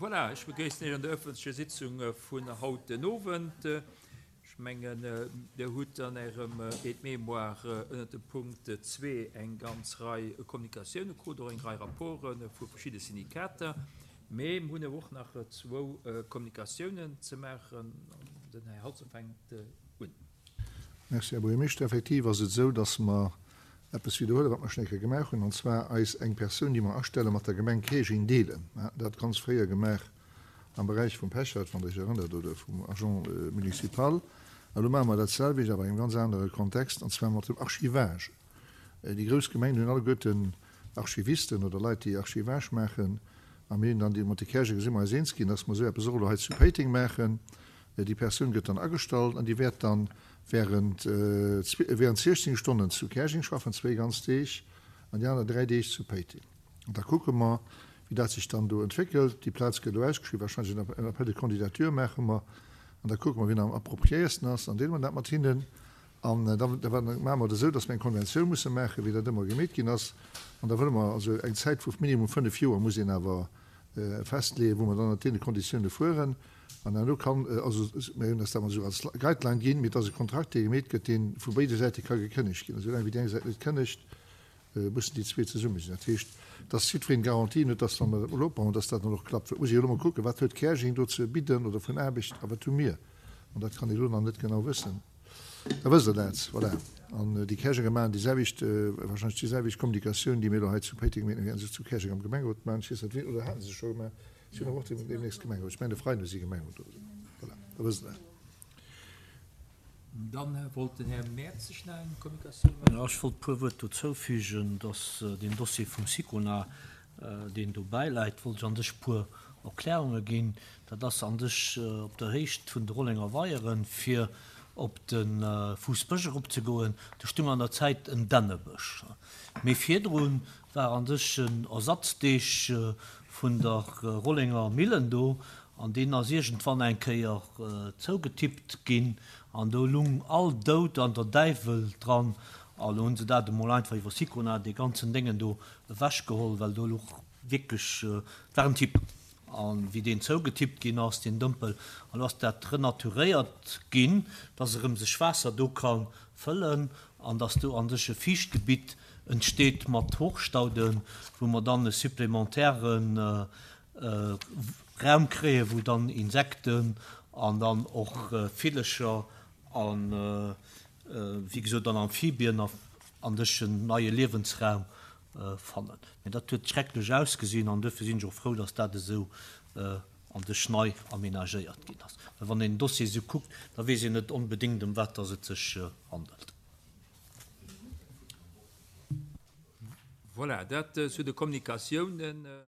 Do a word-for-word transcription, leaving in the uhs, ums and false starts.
Voilà, ech begréissen Iech an der öffentlecher Sitzung vun haut den Owend. Ech mengen, Dir hutt an Ärem Aide-mémoire ënnert dem Punkt zwee eng ganz Rei Kommunikatiounen krut, och eng Rei Rapporte vu verschidde Syndikater. Mee mir hunn awer och nach zwou Kommunikatiounen ze maachen. Den Här Halsdorf fänkt un. Merci, Här Buergermeeschter. Effektiv ass et esou, dass mer eppes widderhuelen, wat mer schonn eng Kéier gemaach hunn, an zwar eis eng Persoun, déi mer astellen, mat der Gemeng Käerjeng deelen. Mer haten dat ganz fréier gemaach am Beräich vum Pechert, wann Der Iech erënnert, oder vum Agent municipal. A lo maache mer dat selwecht, awer an engem ganz anere Kontext, an zwar mat dem Archivage. Déi grouss Gemengen hunn alleguerten Archivisten oder Leit, déi Archivage maachen. A mir hunn dann déi, mat de Käerjenger si mer eis eens ginn, dass mer esou eppes och elo hei zu Péiteng maachen. Déi Persoun gëtt dann agestallt an déi wäert dann während während siechzéng Stonnen zu Käerjeng schaffen, zwéi ganz Deeg, an déi aner dräi Deeg zu Péiteng. An da kucke mer, wéi dat sech dann do entwéckelt. Déi Plaz gëtt elo ausgeschriwwen, wahrscheinlech en Appel de candidature maache mer. An da kucke mer, wien am appropriéiersten ass, an deele mer dat mat hinnen. An da maache mer et esou, dass mer eng Konventioun musse maachen, wéi dat ëmmer gemeet ginn ass. An da wëlle mer also eng Zäit vu minimum fënnef Joer muss een awer festleeën, wou mer dann ënnert deene Konditioune fueren. An herno kann, also mir hunn eis dat emol esou als Guideline ginn, mee et ass e Kontrakt, dee gemeet gëtt, dee vu béide Säite ka gekënnegt ginn. Esou laang wéi déi eng Säit net kënnegt, mussen déi zwee zesumme sinn. Dat heescht, dass jiddwereen Garantien huet, dass, wa mer dat emol opbauen, dass dat dann och klappt. Et muss ee jo elo mol kucken, wat huet Käerjeng do ze bidden oder vun Aarbecht a wat hu mir? An dat kann ee elo nach net genau wëssen. Da wësst Der dat. Voilà. An déi Käerjenger maachen déi selwecht, wahrscheinlech déi selwecht Kommunikatioun, déi mir elo hei zu Péiteng maachen, wäerte se zu Käerjeng am Gemengerot maachen. Ech weess net wéi, oder hate se scho gemaach? Si hunn awer och deemnächst Gemengerot. Ech mengen, de Freiden hu si Gemengerot oder esou. Voilà, da wësst Der dat. Dann wollt den Här Mertzig nach eng Kommunikatioun maachen. Jo, ech wollt e puer Wuert dozou fügen, dass deen Dossier vum Sicona, deen do bäiläit, wollt ech an sech e puer Erklärunge ginn. Dat ass an sech op der Héicht vun de Rollenger Weieren, fir op de Fuussbësch eropzegoen. Do stung an der Zäit en Dännebësch. Mee virdru war an sech en Ersatzdeeg vun der Rollenger Millen do, an deen ass iergendwann eng Kéier zougetippt ginn, an do lung all Doud an der Däiwel dran, a lo hunn se dat emol einfach iwwer Sicona, dee ganzen Déngen do ewechgeholl, well do luch wierklech, et war en Tipp, a wéi deen zougetippt ginn ass, deen Dëmpel, an lo ass dat renaturéiert ginn, dass erëm sech Waasser do ka fëllen, an dass do an sech e Fiichtgebitt entsteet mat Hochstauden, wou mer dann e supplémentaire Raum kréien, wou dann Insekten an dann och Villecher an, wéi gesot, dann Amphibien an dech en neie Liewensraum fannen. Mä dat huet schrecklech ausgesinn an duerfir sinn ech och frou, dass dat esou an dech nei aménagéiert ginn ass. Well wann een den Dossier esou kuckt, da weess een net onbedéngt, ëm wat dass et sech handelt. Voilà, dat zu de Kommunikatiounen.